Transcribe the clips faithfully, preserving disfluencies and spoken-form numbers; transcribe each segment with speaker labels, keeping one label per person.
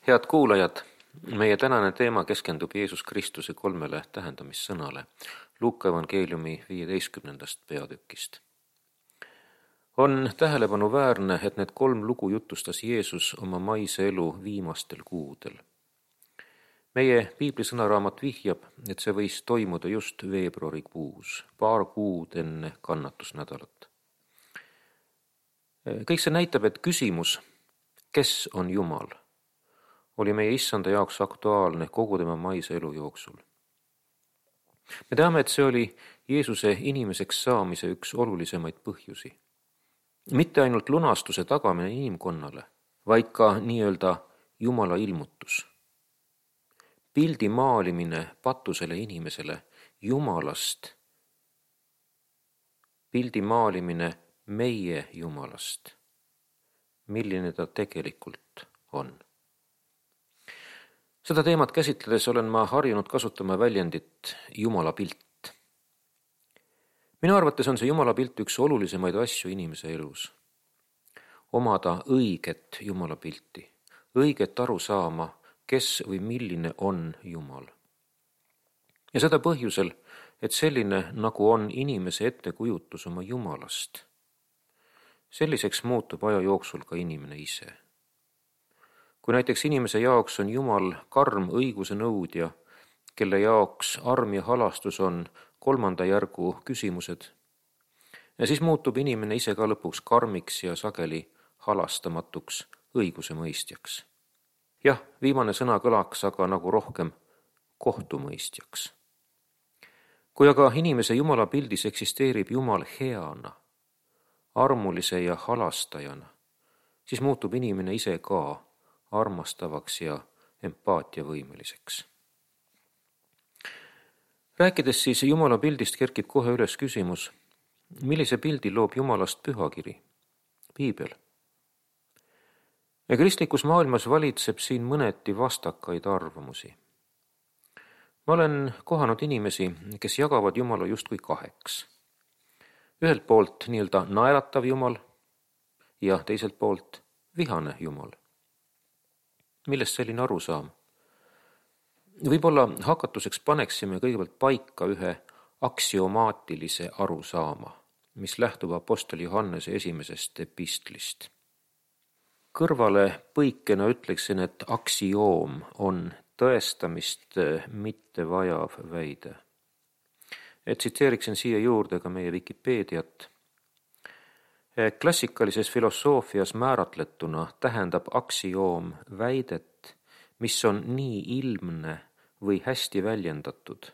Speaker 1: Head kuulajad, meie tänane teema keskendub Jeesus Kristuse kolmele tähendamissõnale Luuka evangeeliumi viieteistkümnendast peatükist. On tähelepanuväärne, et need kolm lugu jutustas Jeesus oma maise elu viimastel kuudel. Meie piiblisõnaraamat vihjab, et see võis toimuda just veebruarikuus, paar kuud enne kannatusnädalat. Kõik see näitab, et küsimus, kes on Jumal, oli meie issanda jaoks aktuaalne kogu tema maise elu jooksul. Me teame, et see oli Jeesuse inimeseks saamise üks olulisemaid põhjusi. Mitte ainult lunastuse tagamine inimkonnale, vaid ka nii-öelda Jumala ilmutus. Pildi maalimine patusele inimesele Jumalast, pildi maalimine meie Jumalast, milline ta tegelikult on. Seda teemat käsitledes olen ma harjunud kasutama väljendit Jumala pilt. Minu arvates on see Jumala pilt üks olulisemaid asju inimese elus. Omada õiget Jumala pilti, õiget aru saama, kes või milline on Jumal. Ja seda põhjusel, et selline, nagu on inimese ettekujutus oma Jumalast, selliseks muutub aja jooksul ka inimene ise. Kui näiteks inimese jaoks on Jumal karm õiguse nõudja, kelle jaoks arm ja halastus on kolmanda järgu küsimused, ja siis muutub inimene ise ka lõpuks karmiks ja sageli halastamatuks õiguse mõistjaks. Jah, viimane sõna kõlaks aga nagu rohkem kohtumõistjaks. Kui aga inimese Jumala pildis eksisteerib Jumal heana, armulise ja halastajana, siis muutub inimene ise ka armastavaks ja empaatiavõimeliseks. Rääkides siis Jumala pildist kerkib kohe üles küsimus, millise pildi loob Jumalast pühakiri, piibel. Ja kristlikus maailmas valitseb siin mõneti vastakaid arvamusi. Ma olen kohanud inimesi, kes jagavad Jumala justkui kaheks. Ühelt poolt nii-öelda naeratav Jumal ja teiselt poolt vihane Jumal. Millest selline arusaam? Võib-olla hakatuseks paneksime kõigepealt paika ühe aksiomaatilise arusaama, mis lähtub apostol Johannese esimesest epistlist. Kõrvale põikena ütleksin, et aksioom on tõestamist mitte vajav väide. Et tsiteeriksin siia juurde ka meie Wikipeediat. Klassikalises filosoofias määratletuna tähendab aksioom väidet, mis on nii ilmne või hästi väljendatud,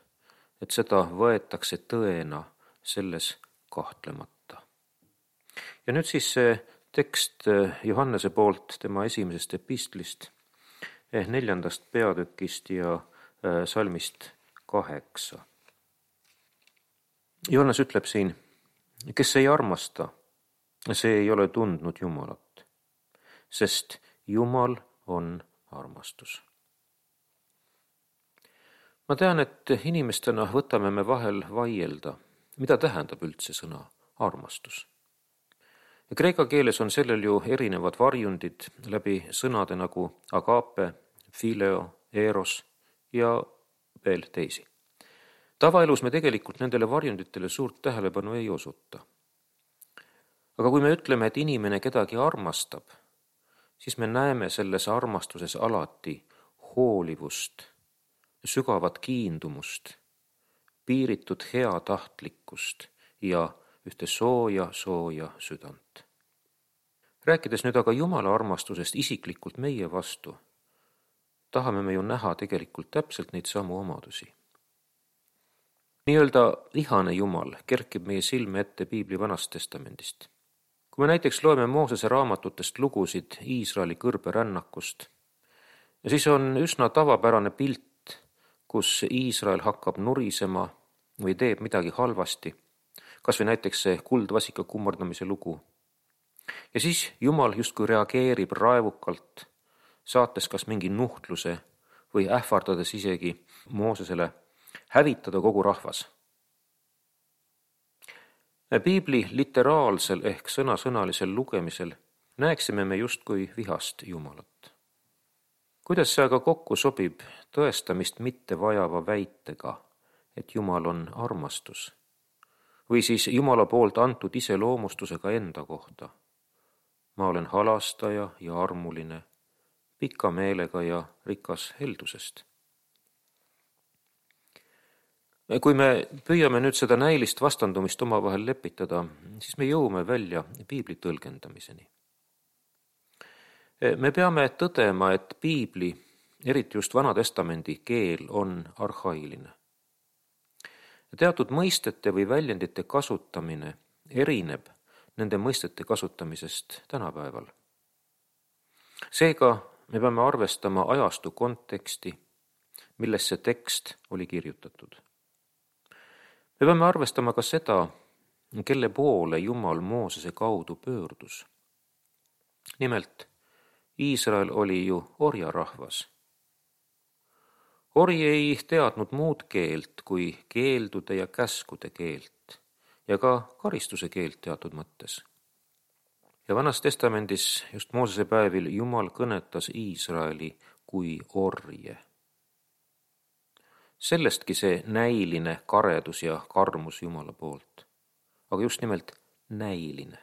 Speaker 1: et seda võetakse tõena selles kahtlemata. Ja nüüd siis see tekst Johannese poolt tema esimesest epistlist, neljandast peatükist ja salmist kaheksa. Johannes ütleb siin, kes ei armasta, see ei ole tundnud Jumalat, sest Jumal on armastus. Ma tean, et inimestena võtame me vahel vaielda, mida tähendab üldse sõna armastus. Ja kreeka keeles on sellel ju erinevad varjundid läbi sõnade nagu agape, phileo, eros ja veel teisi. Tavaelus me tegelikult nendele varjunditele suurt tähelepanu ei osuta. Aga kui me ütleme, et inimene kedagi armastab, siis me näeme selles armastuses alati hoolivust, sügavat kiindumust, piiritud heatahtlikkust ja ühte sooja, sooja südant. Rääkides nüüd aga Jumala armastusest isiklikult meie vastu, tahame me ju näha tegelikult täpselt neid samu omadusi. Nii-öelda vihane Jumal kerkib meie silme ette piibli Vanast testamendist. Kui me näiteks loeme Moosese raamatutest lugusid Iisraeli kõrberännakust, ja siis on üsna tavapärane pilt, kus Iisrael hakkab nurisema või teeb midagi halvasti, kas või näiteks see kuldvasika kummardamise lugu. Ja siis Jumal justkui reageerib raevukalt, saates kas mingi nuhtluse või ähvardades isegi Moosesele hävitada kogu rahvas. Piibli literaalsel ehk sõnasõnalisel lugemisel näeksime me justkui vihast Jumalat. Kuidas see aga kokku sobib tõestamist mitte vajava väitega, et Jumal on armastus, või siis Jumala poolt antud iseloomustusega enda kohta? Ma olen halastaja ja armuline, pika meelega ja rikas heldusest. Kui me püüame nüüd seda näilist vastandumist omavahel lepitada, siis me jõuame välja piibli tõlgendamiseni. Me peame tõdema, et piibli, eriti just Vana-testamendi keel on arhailine. Teatud mõistete või väljendite kasutamine erineb nende mõistete kasutamisest tänapäeval. Seega me peame arvestama ajastu konteksti, milles see tekst oli kirjutatud. Me peame arvestama ka seda, kelle poole Jumal Moosese kaudu pöördus. Nimelt, Iisrael oli ju orjarahvas. Ori ei teadnud muud keelt kui keeldude ja käskude keelt ja ka karistuse keelt teatud mõttes. Ja Vanas Testamendis just Moosese päevil Jumal kõnetas Iisraeli kui orje. Sellestki see näiline karedus ja karmus Jumala poolt, aga just nimelt näiline.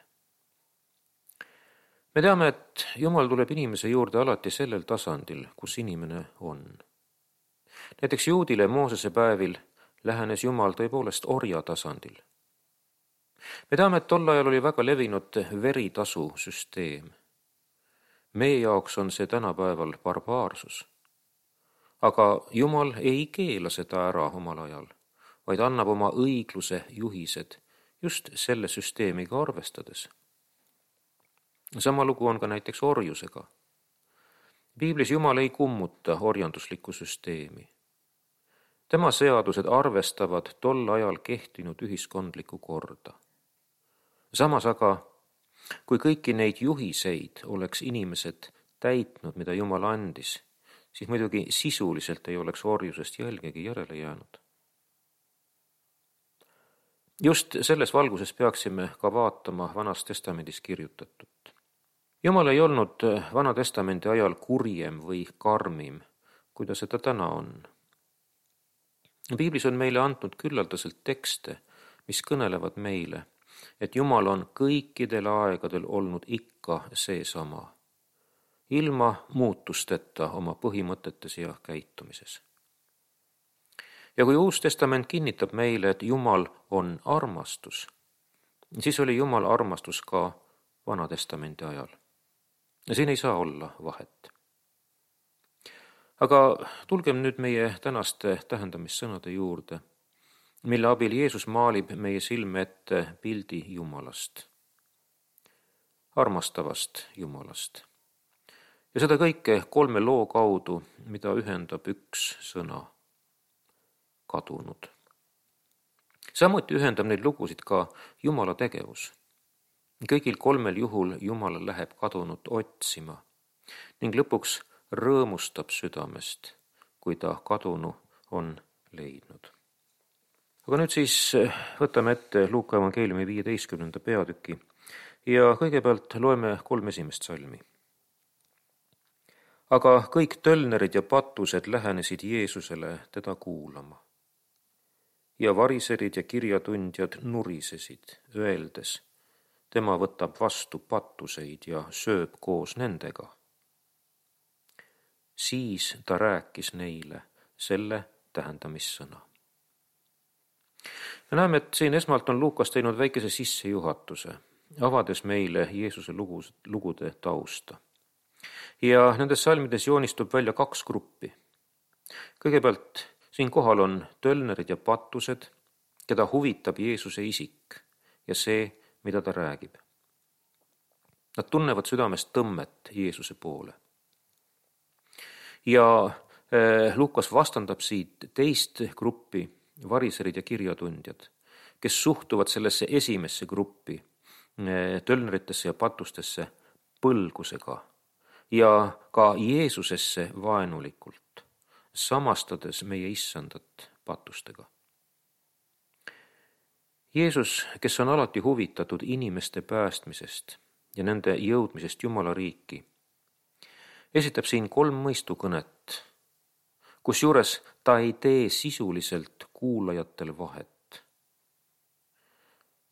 Speaker 1: Me teame, et Jumal tuleb inimese juurde alati sellel tasandil, kus inimene on. Näiteks juudile Moosese päevil lähenes Jumal tõepoolest orja tasandil. Me teame, et tol ajal oli väga levinud veritasu süsteem. Meie jaoks on see tänapäeval barbaarsus. Aga Jumal ei keela seda ära omal ajal, vaid annab oma õigluse juhised just selle süsteemiga arvestades. Sama lugu on ka näiteks orjusega. Piiblis Jumal ei kummuta orjanduslikku süsteemi. Tema seadused arvestavad tol ajal kehtinud ühiskondlikku korda. Samas aga, kui kõiki neid juhiseid oleks inimesed täitnud, mida Jumal andis, siis muidugi sisuliselt ei oleks orjusest jälgegi järele jäänud. Just selles valguses peaksime ka vaatama Vanas Testamendis kirjutatut. Jumal ei olnud Vana Testamendi ajal kurjem või karmim, kui ta seda täna on. Piiblis on meile antud küllaldaselt tekste, mis kõnelevad meile, et Jumal on kõikidel aegadel olnud ikka seesama, ilma muutusteta oma põhimõtetes ja käitumises. Ja kui Uus Testament kinnitab meile, et Jumal on armastus, siis oli Jumal armastus ka Vana Testamendi ajal. Ja siin ei saa olla vahet. Aga tulgem nüüd meie tänaste tähendamissõnade juurde, mille abil Jeesus maalib meie silme ette pildi Jumalast, armastavast Jumalast. Ja seda kõike kolme loo kaudu, mida ühendab üks sõna, kadunud. Samuti ühendab neid lugusid ka Jumala tegevus. Kõigil kolmel juhul Jumal läheb kadunut otsima ning lõpuks rõõmustab südamest, kui ta kadunu on leidnud. Aga nüüd siis võtame ette Luuka evangeeliumi viieteistkümnenda peatüki ja kõigepealt loeme kolm esimest salmi. Aga kõik tölnerid ja patused lähenesid Jeesusele teda kuulama. Ja variserid ja kirjatundjad nurisesid, öeldes, tema võtab vastu patuseid ja sööb koos nendega. Siis ta rääkis neile selle tähendamissõna. Me näeme, et siin esmalt on Luukas teinud väikese sissejuhatuse, avades meile Jeesuse lugude tausta. Ja nendes salmides joonistub välja kaks gruppi. Kõigepealt siin kohal on tölnerid ja patused, keda huvitab Jeesuse isik ja see, mida ta räägib. Nad tunnevad südamest tõmmet Jeesuse poole. Ja eh, Luukas vastandab siit teist gruppi, variserid ja kirjatundjad, kes suhtuvad sellesse esimesse gruppi, eh, tölneritesse ja patustesse põlgusega ja ka Jeesusesse vaenulikult, samastades meie issandat patustega. Jeesus, kes on alati huvitatud inimeste päästmisest ja nende jõudmisest Jumala riiki, esitab siin kolm mõistukõnet, kusjuures ta ei tee sisuliselt kuulajatel vahet.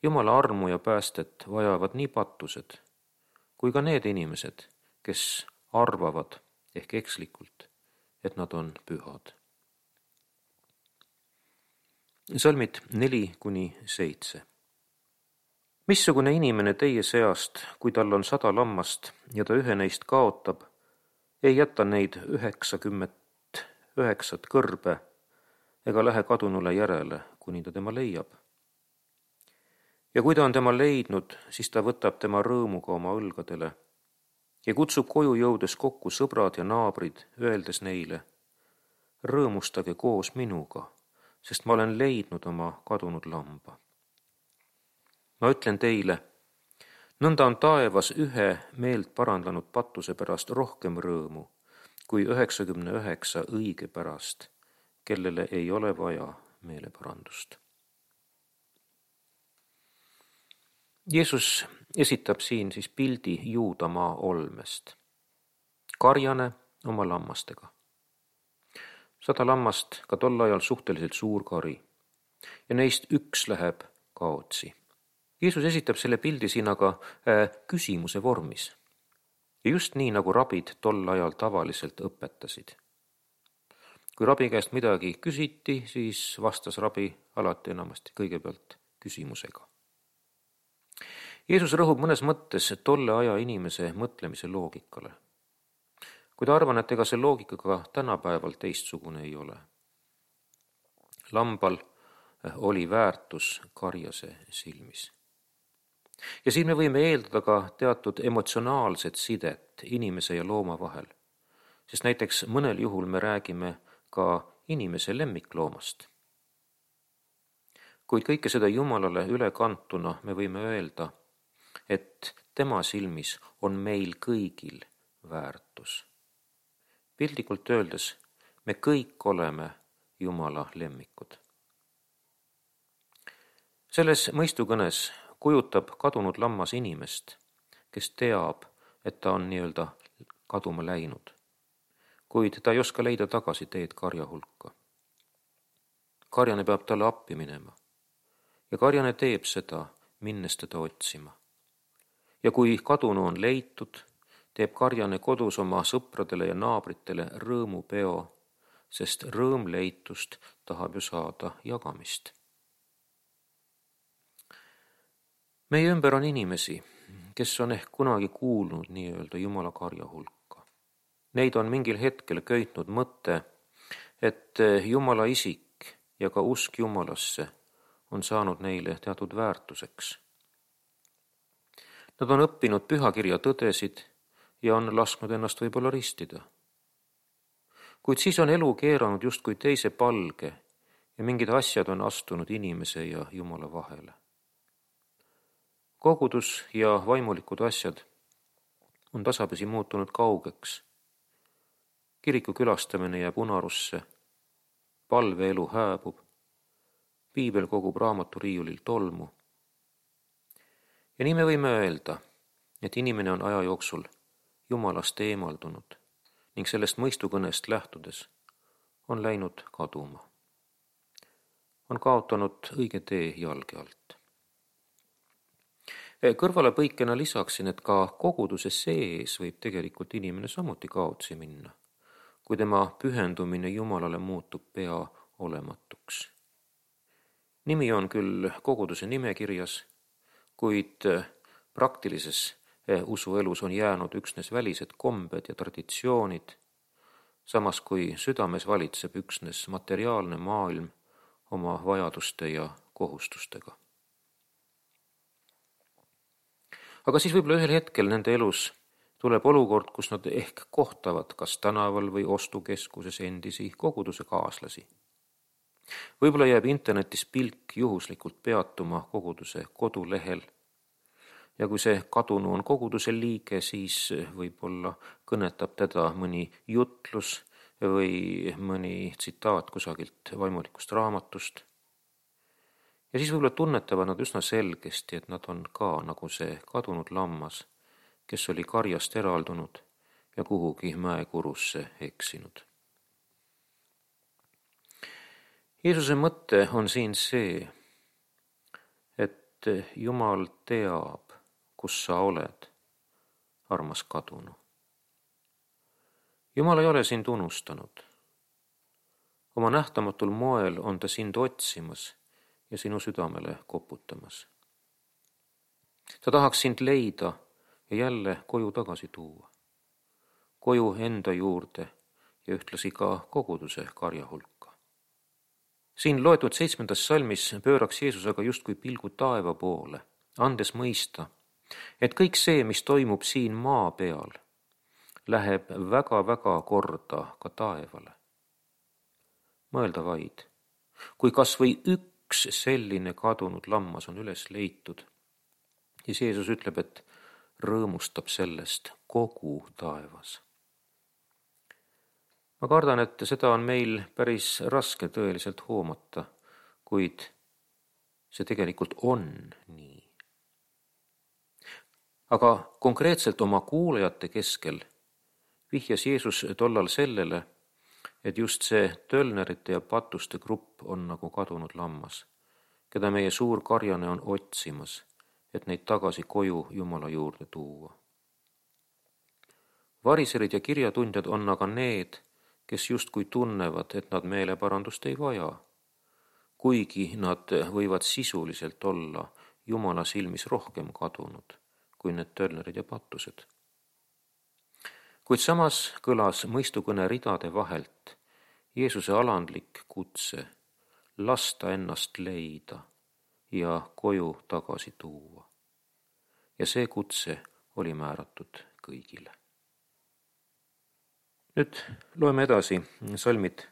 Speaker 1: Jumala armu ja päästet vajavad nii patused kui ka need inimesed, kes arvavad ehk ekslikult, et nad on pühad. Salmid neli kuni seitse. Missugune inimene teie seast, kui tal on sada lammast ja ta ühe neist kaotab, ei jäta neid üheksakümmet üheksat kõrbe ega lähe kadunule järele, kuni ta tema leiab. Ja kui ta on tema leidnud, siis ta võtab tema rõõmuga oma õlgadele ja kutsub koju jõudes kokku sõbrad ja naabrid, öeldes neile: rõõmustage koos minuga, sest ma olen leidnud oma kadunud lamba. Ma ütlen teile, nõnda on taevas ühe meelt parandanud patuse pärast rohkem rõõmu kui üheksakümne üheksa õige pärast, kellele ei ole vaja meeleparandust. Jeesus esitab siin siis pildi Juudamaa olmest. Karjane oma lammastega. Sada lammast, ka tol ajal suhteliselt suur kari, ja neist üks läheb kaotsi. Jeesus esitab selle pildi siin aga äh, küsimuse vormis. Ja just nii, nagu rabid tol ajal tavaliselt õpetasid. Kui rabi käest midagi küsiti, siis vastas rabi alati enamasti kõigepealt küsimusega. Jeesus rõhub mõnes mõttes tolle aja inimese mõtlemise loogikale. Kuid arvan, et ega see loogikaga tänapäeval teistsugune ei ole. Lambal oli väärtus karjase silmis. Ja siin me võime eeldada ka teatud emotsionaalset sidet inimese ja looma vahel, sest näiteks mõnel juhul me räägime ka inimese lemmikloomast. Kuid kõike seda Jumalale ülekantuna me võime öelda, et tema silmis on meil kõigil väärtus. Pildikult öeldes, me kõik oleme Jumala lemmikud. Selles mõistukõnes kujutab kadunud lammas inimest, kes teab, et ta on nii-öelda kaduma läinud, kuid ta ei oska leida tagasi teed karja hulka. Karjane peab talle appi minema ja karjane teeb seda, minnes teda otsima. Ja kui kadunu on leitud, teeb karjane kodus oma sõpradele ja naabritele rõõmupeo, sest rõõm leitust tahab ju saada jagamist. Meie ümber on inimesi, kes on ehk kunagi kuulnud nii-öelda Jumala karja hulka. Neid on mingil hetkel köitnud mõte, et Jumala isik ja ka usk Jumalasse on saanud neile teatud väärtuseks. Nad on õppinud pühakirja tõdesid ja on lasknud ennast võib-olla ristida. Kuid siis on elu keeranud justkui teise palge ja mingid asjad on astunud inimese ja Jumala vahele. Kogudus ja vaimulikud asjad on tasapisi muutunud kaugeks. Kiriku külastamine jääb unarusse, palveelu hääbub, piibel kogub raamaturiiulil tolmu. Ja nii me võime öelda, et inimene on aja jooksul Jumalast eemaldunud ning sellest mõistukõnest lähtudes on läinud kaduma. On kaotanud õige tee jalge alt. Kõrvalepõikena lisaksin, et ka koguduse sees võib tegelikult inimene samuti kaotsi minna, kui tema pühendumine Jumalale muutub pea olematuks. Nimi on küll koguduse nimekirjas, kuid praktilises usuelus on jäänud üksnes välised kombed ja traditsioonid, samas kui südames valitseb üksnes materiaalne maailm oma vajaduste ja kohustustega. Aga siis võib-olla ühel hetkel nende elus tuleb olukord, kus nad ehk kohtavad kas tänaval või ostukeskuses endisi koguduse kaaslasi. Võib-olla jääb internetis pilk juhuslikult peatuma koguduse kodulehel ja kui see kadunu on koguduse liige, siis võib-olla kõnetab teda mõni jutlus või mõni tsitaat kusagilt vaimulikust raamatust. Ja siis võib-olla tunnetavad nad üsna selgesti, et nad on ka nagu see kadunud lammas, kes oli karjast eraldunud ja kuhugi mäekurusse eksinud. Jeesuse mõte on siin see, et Jumal teab, kus sa oled, armas kadunu. Jumal ei ole sind unustanud. Oma nähtamatul moel on ta sind otsimas ja sinu südamele koputamas. Ta tahaks sind leida ja jälle koju tagasi tuua. Koju enda juurde ja ühtlasi ka koguduse karja hulka. Siin loetud seitsmendas salmis pööraks Jeesus aga justkui pilgu taeva poole, andes mõista, et kõik see, mis toimub siin maa peal, läheb väga-väga korda ka taevale. Mõelda vaid, kui kas või üks selline kadunud lammas on üles leitud, siis Jeesus ütleb, et rõõmustab sellest kogu taevas. Ma kardan, et seda on meil päris raske tõeliselt hoomata, kuid see tegelikult on nii. Aga konkreetselt oma kuulajate keskel vihjas Jeesus tollal sellele, et just see tölnerite ja patuste grupp on nagu kadunud lammas, keda meie suur karjane on otsimas, et neid tagasi koju Jumala juurde tuua. Variserid ja kirjatundjad on aga need, kes justkui tunnevad, et nad meeleparandust ei vaja, kuigi nad võivad sisuliselt olla Jumala silmis rohkem kadunud kui need tölnerid ja patused. Kuid samas kõlas mõistukõne ridade vahelt Jeesuse alandlik kutse lasta ennast leida ja koju tagasi tuua. Ja see kutse oli määratud kõigile. Nüüd loeme edasi salmid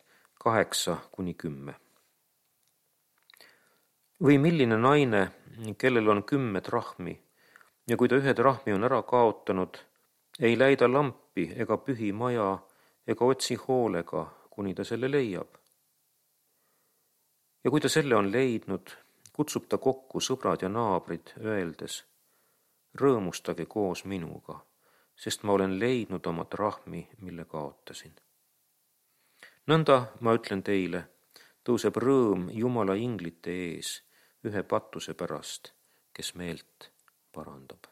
Speaker 1: kaheksa kuni kümme. Või milline naine, kellel on kümme drahmi, ja kui ta ühe drahmi on ära kaotanud, ei läida lampi ega pühi maja ega otsi hoolega, kuni ta selle leiab. Ja kui ta selle on leidnud, kutsub ta kokku sõbrad ja naabrid, öeldes, rõõmustage koos minuga, sest ma olen leidnud oma drahmi, mille kaotasin. Nõnda, ma ütlen teile, tõuseb rõõm Jumala inglite ees ühe patuse pärast, kes meelt parandab.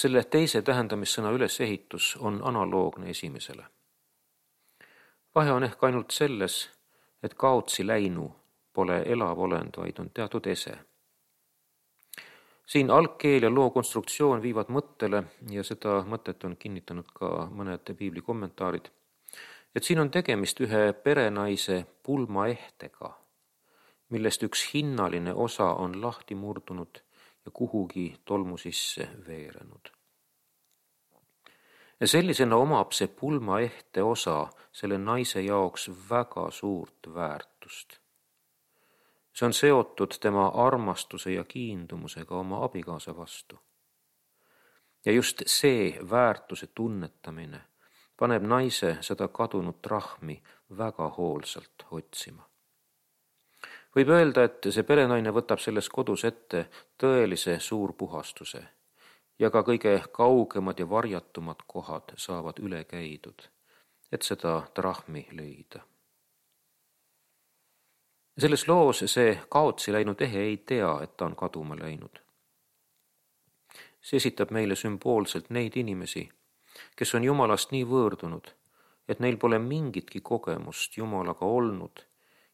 Speaker 1: Selle teise tähendamissõna ülesehitus on analoogne esimesele. Vahe on ehk ainult selles, et kaotsi läinu pole elav olend, vaid on teatud ese. Siin algkeel ja loo konstruktsioon viivad mõttele, ja seda mõtet on kinnitanud ka mõned piibli kommentaarid, et siin on tegemist ühe perenaise pulmaehtega, millest üks hinnaline osa on lahti murdunud ja kuhugi tolmu sisse veerenud. Ja sellisena omab see pulmaehte osa selle naise jaoks väga suurt väärtust. See on seotud tema armastuse ja kiindumusega oma abikaasa vastu. Ja just see väärtuse tunnetamine paneb naise seda kadunud drahmi väga hoolsalt otsima. Võib öelda, et see perenaine võtab selles kodus ette tõelise suurpuhastuse ja ka kõige kaugemad ja varjatumad kohad saavad üle käidud, et seda drahmi leida. Selles loos see kaotsi läinud ehe ei tea, et ta on kaduma läinud. See esitab meile sümboolselt neid inimesi, kes on Jumalast nii võõrdunud, et neil pole mingitki kogemust Jumalaga olnud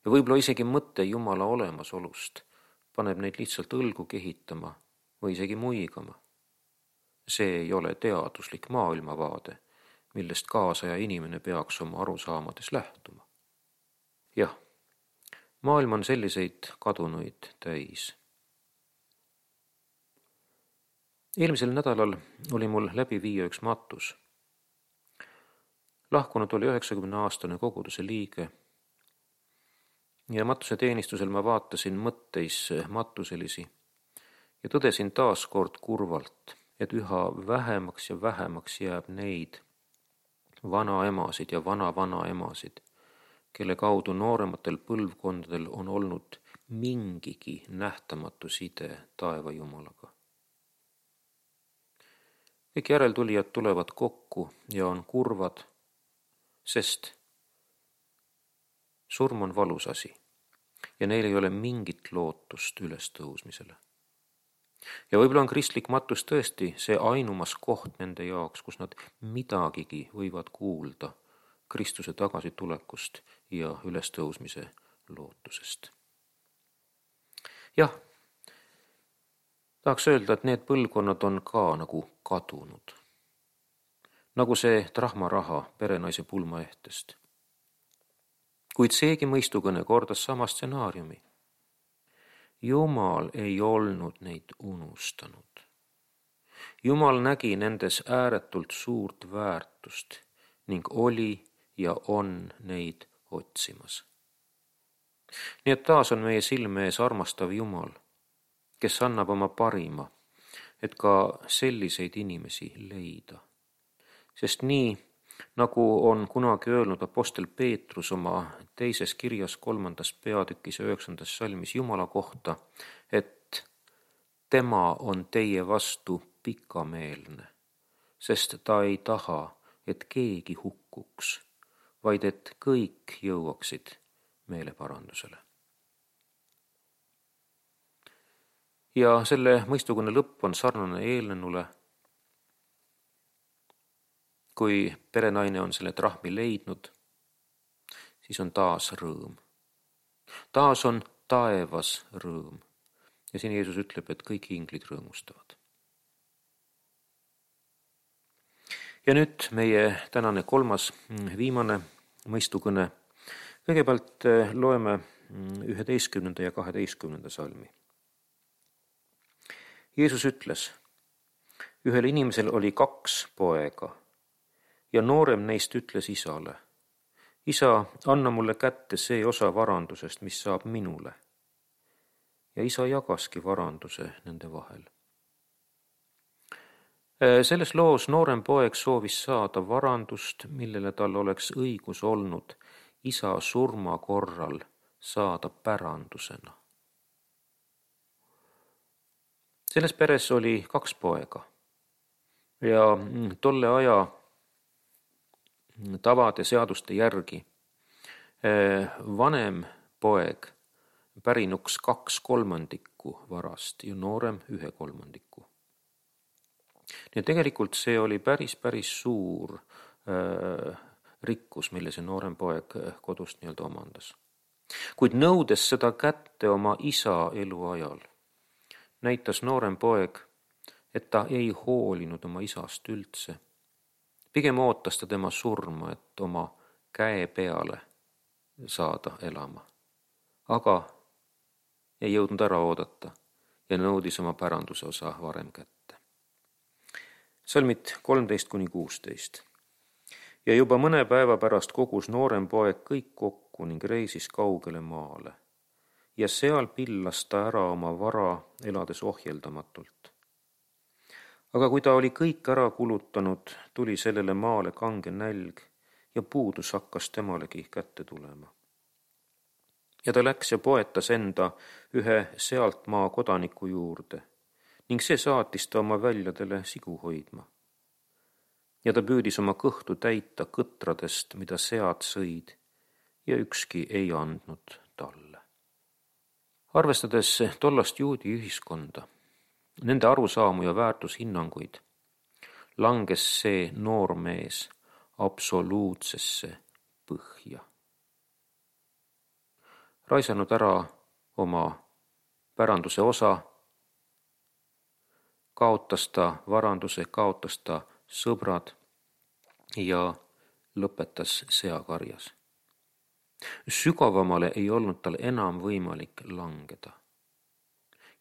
Speaker 1: ja võib-olla isegi mõte Jumala olemasolust paneb neid lihtsalt õlgu kehitama või isegi muigama. See ei ole teaduslik maailmavaade, millest kaasaja inimene peaks oma arusaamades lähtuma. Jah, maailm on selliseid kadunuid täis. Eelmisel nädalal oli mul läbi viia üks matus. Lahkunud oli üheksakümne aastane koguduse liige ja matuse teenistusel ma vaatasin mõtteis matuselisi ja tõdesin taas kord kurvalt, et üha vähemaks ja vähemaks jääb neid vanaemasid ja vana-vanaemasid, kelle kaudu noorematel põlvkondadel on olnud mingigi nähtamatu side taeva Jumalaga. kõik järeltulijad tulevad kokku ja on kurvad, sest surm on valus asi ja neil ei ole mingit lootust ülestõusmisele. Ja võib-olla on kristlik matus tõesti see ainumas koht nende jaoks, kus nad midagigi võivad kuulda Kristuse tagasitulekust ja ülestõusmise lootusest. Jah, tahaks öelda, et need põlvkonnad on ka nagu kadunud. Nagu see trahmaraha perenaise pulmaehtest. Kuid seegi mõistukõne kordas sama stsenaariumi. Jumal ei olnud neid unustanud. Jumal nägi nendes ääretult suurt väärtust ning oli ja on neid otsimas. Nii et taas on meie silme ees armastav Jumal, kes annab oma parima, et ka selliseid inimesi leida. Sest nii, nagu on kunagi öelnud apostel Peetrus oma teises kirjas kolmandas peatükis ja üheksandas salmis Jumala kohta, et tema on teie vastu pikameelne, sest ta ei taha, et keegi hukkuks, vaid et kõik jõuaksid meeleparandusele. Ja selle mõistukõne lõpp on sarnane eelnenule. Kui perenaine on selle trahmi leidnud, siis on taas rõõm. Taas on taevas rõõm. Ja siin Jeesus ütleb, et kõik inglid rõõmustavad. Ja nüüd meie tänane kolmas viimane mõistukõne. Kõigepealt loeme üheteistkümnenda ja kaheteistkümnenda salmi. Jeesus ütles, ühel inimesel oli kaks poega ja noorem neist ütles isale, isa, anna mulle kätte see osa varandusest, mis saab minule. Ja isa jagaski varanduse nende vahel. Selles loos noorem poeg soovis saada varandust, millele tal oleks õigus olnud isa surma korral saada pärandusena. Selles peres oli kaks poega ja tolle aja tavade seaduste järgi vanem poeg pärinuks kaks kolmandikku varast ja noorem ühe kolmandiku. Ja tegelikult see oli päris, päris suur äh, rikkus, mille see noorem poeg kodust nii-öelda omandas. Kuid nõudes seda kätte oma isa eluajal, näitas noorem poeg, et ta ei hoolinud oma isast üldse. Pigem ootas ta tema surma, et oma käe peale saada elama. Aga ei jõudnud ära oodata ja nõudis oma päranduse osa varem kätte. Salmid kolmteist kuni kuusteist. Ja juba mõne päeva pärast kogus noorem poeg kõik kokku ning reisis kaugele maale. Ja seal pillas ta ära oma vara, elades ohjeldamatult. Aga kui ta oli kõik ära kulutanud, tuli sellele maale kange nälg ja puudus hakkas temalegi kätte tulema. Ja ta läks ja poetas enda ühe sealt maa kodaniku juurde ning see saatis ta oma väljadele sigu hoidma. Ja ta püüdis oma kõhtu täita kõtradest, mida sead sõid ja ükski ei andnud talle. Arvestades tollast juudi ühiskonda, nende arusaamu ja väärtushinnanguid, langes see noor mees absoluutsesse põhja. Raisanud ära oma päranduse osa, kaotas ta varanduse, kaotas ta sõbrad ja lõpetas seakarjas. Sügavamale ei olnud tal enam võimalik langeda.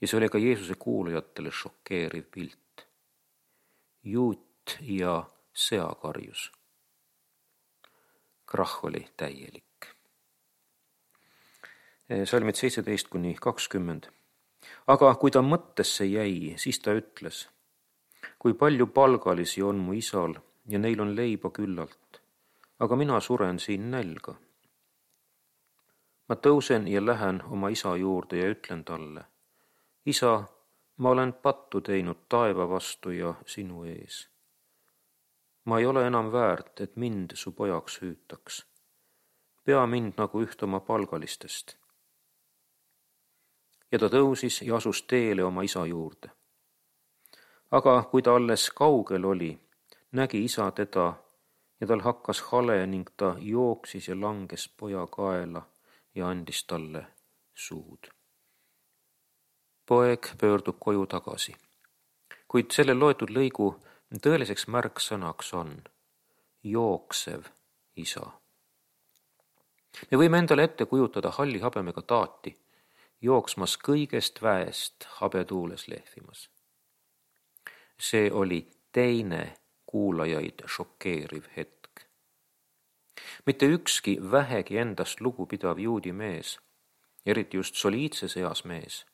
Speaker 1: Ja see oli ka Jeesuse kuulajatele šokeeriv pilt. Juut ja seakarjus. Krahh oli täielik. Salmid seitseteist kuni kakskümmend. Aga kui ta mõttesse jäi, siis ta ütles, kui palju palgalisi on mu isal ja neil on leiba küllalt, aga mina suren siin nälga. Ma tõusen ja lähen oma isa juurde ja ütlen talle, isa, ma olen pattu teinud taeva vastu ja sinu ees. ma ei ole enam väärt, et mind su pojaks hüütaks. Pea mind nagu üht oma palgalistest. Ja ta tõusis ja asus teele oma isa juurde. Aga kui ta alles kaugel oli, nägi isa teda ja tal hakkas hale ning ta jooksis ja langes poja kaela ja andis talle suud. Poeg pöördub koju tagasi, kuid selle loetud lõigu tõeliseks märksõnaks on jooksev isa. Me võime endale ette kujutada halli habemega taati, jooksmas kõigest väest habetuules lehvimas. See oli teine kuulajaid šokeeriv hetk. Mitte ükski vähegi endast lugupidav juudi mees, eriti just soliidses eas mees,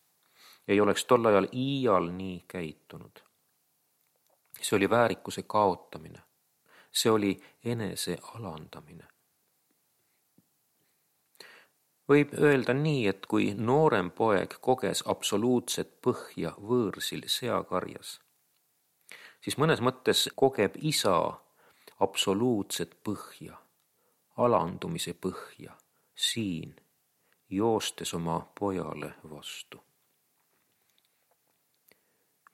Speaker 1: ei oleks tol ajal iial nii käitunud. See oli väärikuse kaotamine. See oli enese alandamine. Võib öelda nii, et kui noorem poeg koges absoluutset põhja võõrsil seakarjas, siis mõnes mõttes kogeb isa absoluutset põhja, alandumise põhja, siin, joostes oma pojale vastu.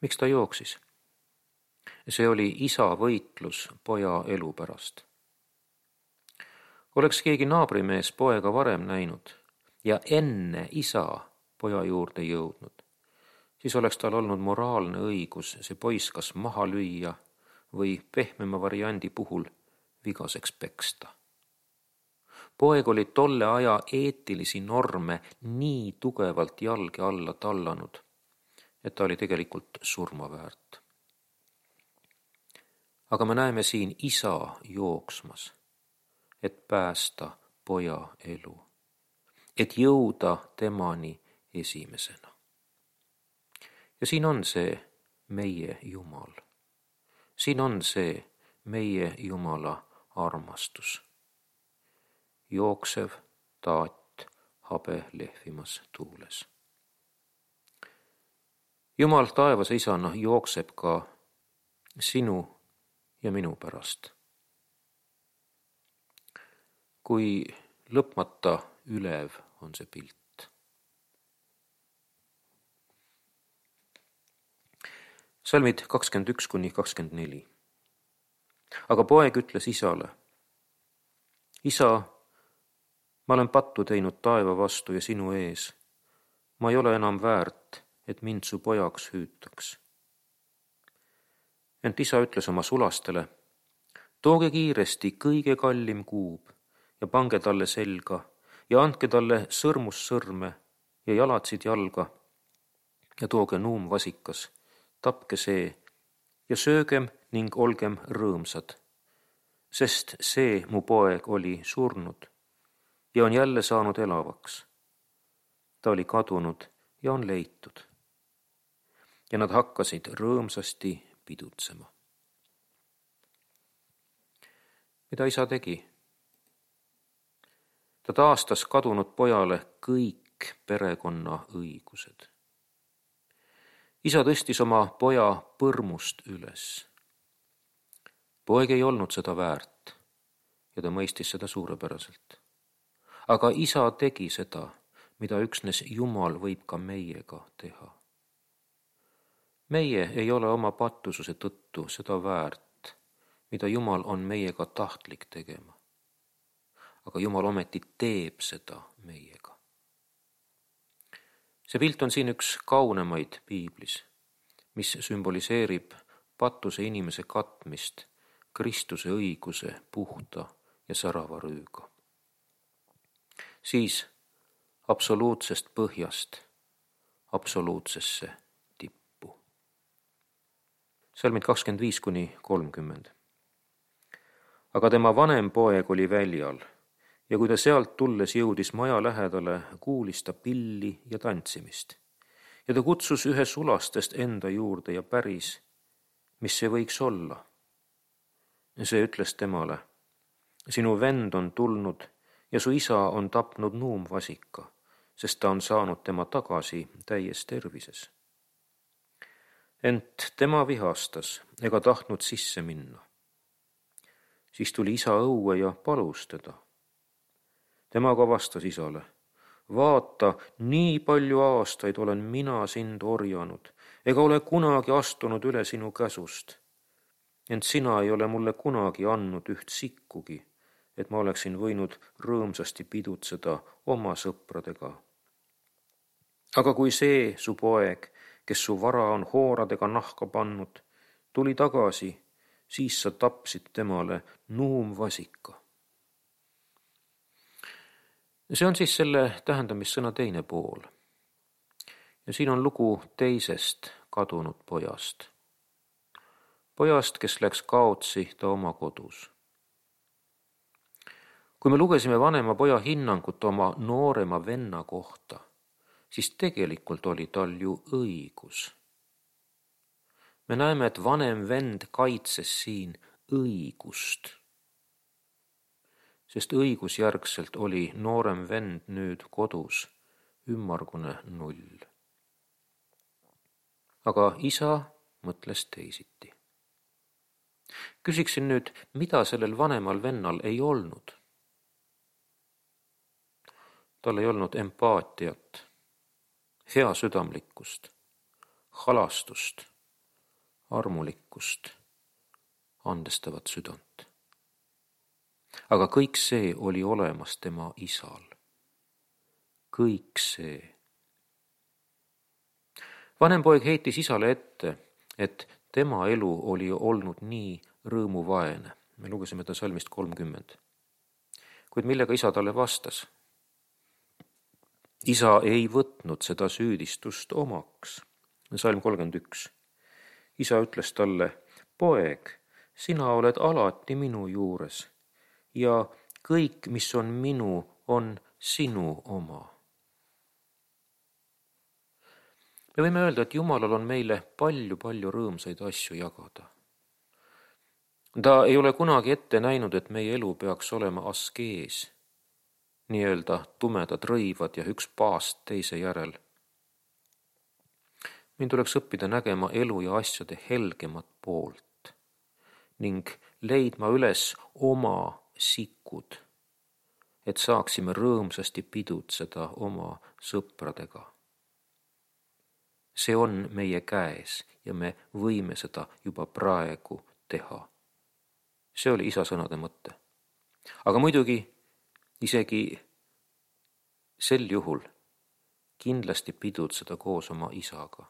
Speaker 1: Miks ta jooksis? See oli isa võitlus poja elu pärast. Oleks keegi naabrimees poega varem näinud ja enne isa poja juurde jõudnud, siis oleks tal olnud moraalne õigus see poiss kas maha lüüa või pehmema variandi puhul vigaseks peksta. Poeg oli tolle aja eetilisi norme nii tugevalt jalge alla tallanud, et ta oli tegelikult surma väärt. Aga me näeme siin isa jooksmas, et päästa poja elu, et jõuda temani esimesena. Ja siin on see meie Jumal. Siin on see meie Jumala armastus. Jooksev taat habe lehvimas tuules. Jumal taevas isana jookseb ka sinu ja minu pärast. Kui lõpmata ülev on see pilt. Salmid kakskümmend üks kuni kakskümmend neli. Aga poeg ütles isale, isa, ma olen pattu teinud taeva vastu ja sinu ees. Ma ei ole enam väärt, et mind su pojaks hüütaks. Ent isa ütles oma sulastele, tooge kiiresti kõige kallim kuub ja pange talle selga ja andke talle sõrmus sõrme ja jalatsid jalga ja tooge nuumvasikas, tapke see ja söögem ning olgem rõõmsad, sest see mu poeg oli surnud ja on jälle saanud elavaks. Ta oli kadunud ja on leitud. Ja nad hakkasid rõõmsasti pidutsema. Mida isa tegi? Ta taastas kadunud pojale kõik perekonna õigused. Isa tõstis oma poja põrmust üles. Poeg ei olnud seda väärt ja ta mõistis seda suurepäraselt. Aga isa tegi seda, mida üksnes Jumal võib ka meiega teha. Meie ei ole oma patususe tõttu seda väärt, mida Jumal on meiega tahtlik tegema. Aga Jumal ometi teeb seda meiega. See pilt on siin üks kaunemaid piiblis, mis sümboliseerib patuse inimese katmist Kristuse õiguse puhta ja särava rüüga. Siis absoluutsest põhjast absoluutsesse tippu. Salmid kakskümmend viis kuni kolmkümmend. Aga tema vanem poeg oli väljal ja kui ta sealt tulles jõudis maja lähedale, kuulis ta pilli ja tantsimist. Ja ta kutsus ühe sulastest enda juurde ja päris, mis see võiks olla. See ütles temale, sinu vend on tulnud ja su isa on tapnud nuumvasika, sest ta on saanud tema tagasi täies tervises. Ent tema vihastas ega tahtnud sisse minna. Siis tuli isa õue ja palus teda. Tema ka vastas isale: vaata, nii palju aastaid olen mina sind orjanud, ega ole kunagi astunud üle sinu käsust. Ent sina ei ole mulle kunagi andnud üht sikkugi, et ma oleksin võinud rõõmsasti pidutseda oma sõpradega. Aga kui see su poeg, kes su vara on hooradega nahka pannud, tuli tagasi, siis sa tapsid temale nuumvasika. See on siis selle tähendamissõna teine pool. Ja siin on lugu teisest kadunud pojast. Pojast, kes läks kaotsi ta oma kodus. Kui me lugesime vanema poja hinnangut oma noorema venna kohta, siis tegelikult oli tal ju õigus. Me näeme, et vanem vend kaitses siin õigust, sest õigusjärgselt oli noorem vend nüüd kodus ümmargune null. Aga isa mõtles teisiti. Küsiksin nüüd, mida sellel vanemal vennal ei olnud? Tal ei olnud empaatiat, heasüdamlikkust, halastust, armulikkust, andestavat südant. Aga kõik see oli olemas tema isal. Kõik see. Vanem poeg heitis isale ette, et tema elu oli olnud nii rõõmuvaene. Me lugesime ta salmist kolmkümmend. Kuid millega isa talle vastas? Isa ei võtnud seda süüdistust omaks. Salm kolmkümmend üks. Isa ütles talle: poeg, sina oled alati minu juures ja kõik, mis on minu, on sinu oma. Me võime öelda, et Jumalal on meile palju-palju rõõmsaid asju jagada. Ta ei ole kunagi ette näinud, et meie elu peaks olema askees, nii-öelda tumedad rõivad ja üks paast teise järel. Meil tuleks õppida nägema elu ja asjade helgemat poolt ning leidma üles oma sikud, et saaksime rõõmsasti pidutseda oma sõpradega. See on meie käes ja me võime seda juba praegu teha. See oli isa sõnade mõte. Aga muidugi isegi sel juhul kindlasti pidutseda koos oma isaga,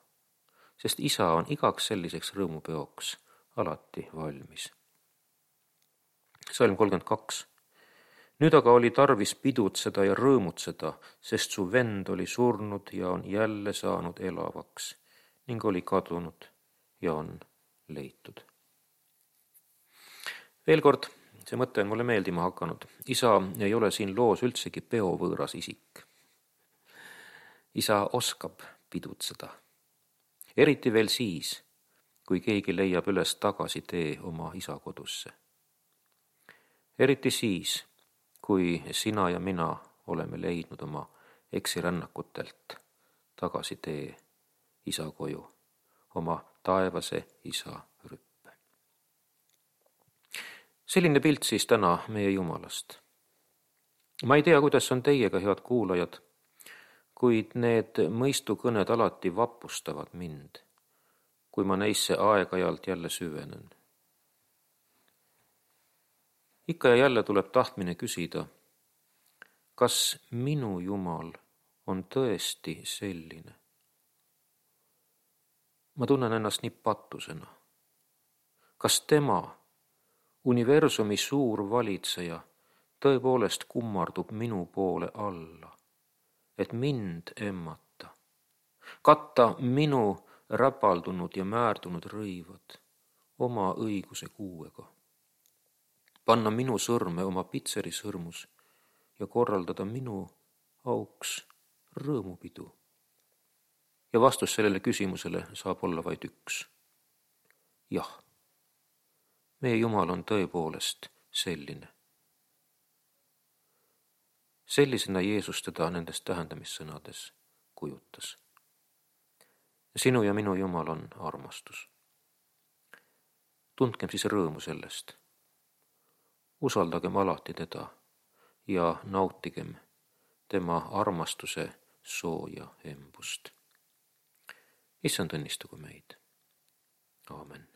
Speaker 1: sest isa on igaks selliseks rõõmupeoks alati valmis. Salm kolmkümmend kaks. Nüüd aga oli tarvis pidutseda ja rõõmutseda, sest su vend oli surnud ja on jälle saanud elavaks ning oli kadunud ja on leitud. Veel kord, see mõte on mulle meeldima hakanud. Isa ei ole siin loos üldsegi peovõõras isik. Isa oskab pidutseda. Eriti veel siis, kui keegi leiab üles tagasi tee oma isa kodusse. Eriti siis, kui sina ja mina oleme leidnud oma eksirännakutelt tagasi tee isa koju, oma taevase isa rüppe. Selline pilt siis täna meie Jumalast. Ma ei tea, kuidas on teiega, head kuulajad, kuid need mõistukõned alati vapustavad mind, kui ma neisse aeg-ajalt jälle süvenen. Ikka ja jälle tuleb tahtmine küsida, kas minu Jumal on tõesti selline? Ma tunnen ennast nii patusena. Kas tema, universumi suur valitseja, tõepoolest kummardub minu poole alla, et mind emmata, katta minu räpaldunud ja määrdunud rõivad oma õiguse kuuega, panna minu sõrme oma pitseri sõrmus ja korraldada minu auks rõõmupidu? Ja vastus sellele küsimusele saab olla vaid üks. Jah, meie Jumal on tõepoolest selline. Sellisena Jeesus teda nendes tähendamissõnades kujutas. Sinu ja minu Jumal on armastus. Tundkem siis rõõmu sellest. usaldagem alati teda ja nautigem tema armastuse sooja embust. Issand õnnistagu meid. Aamen.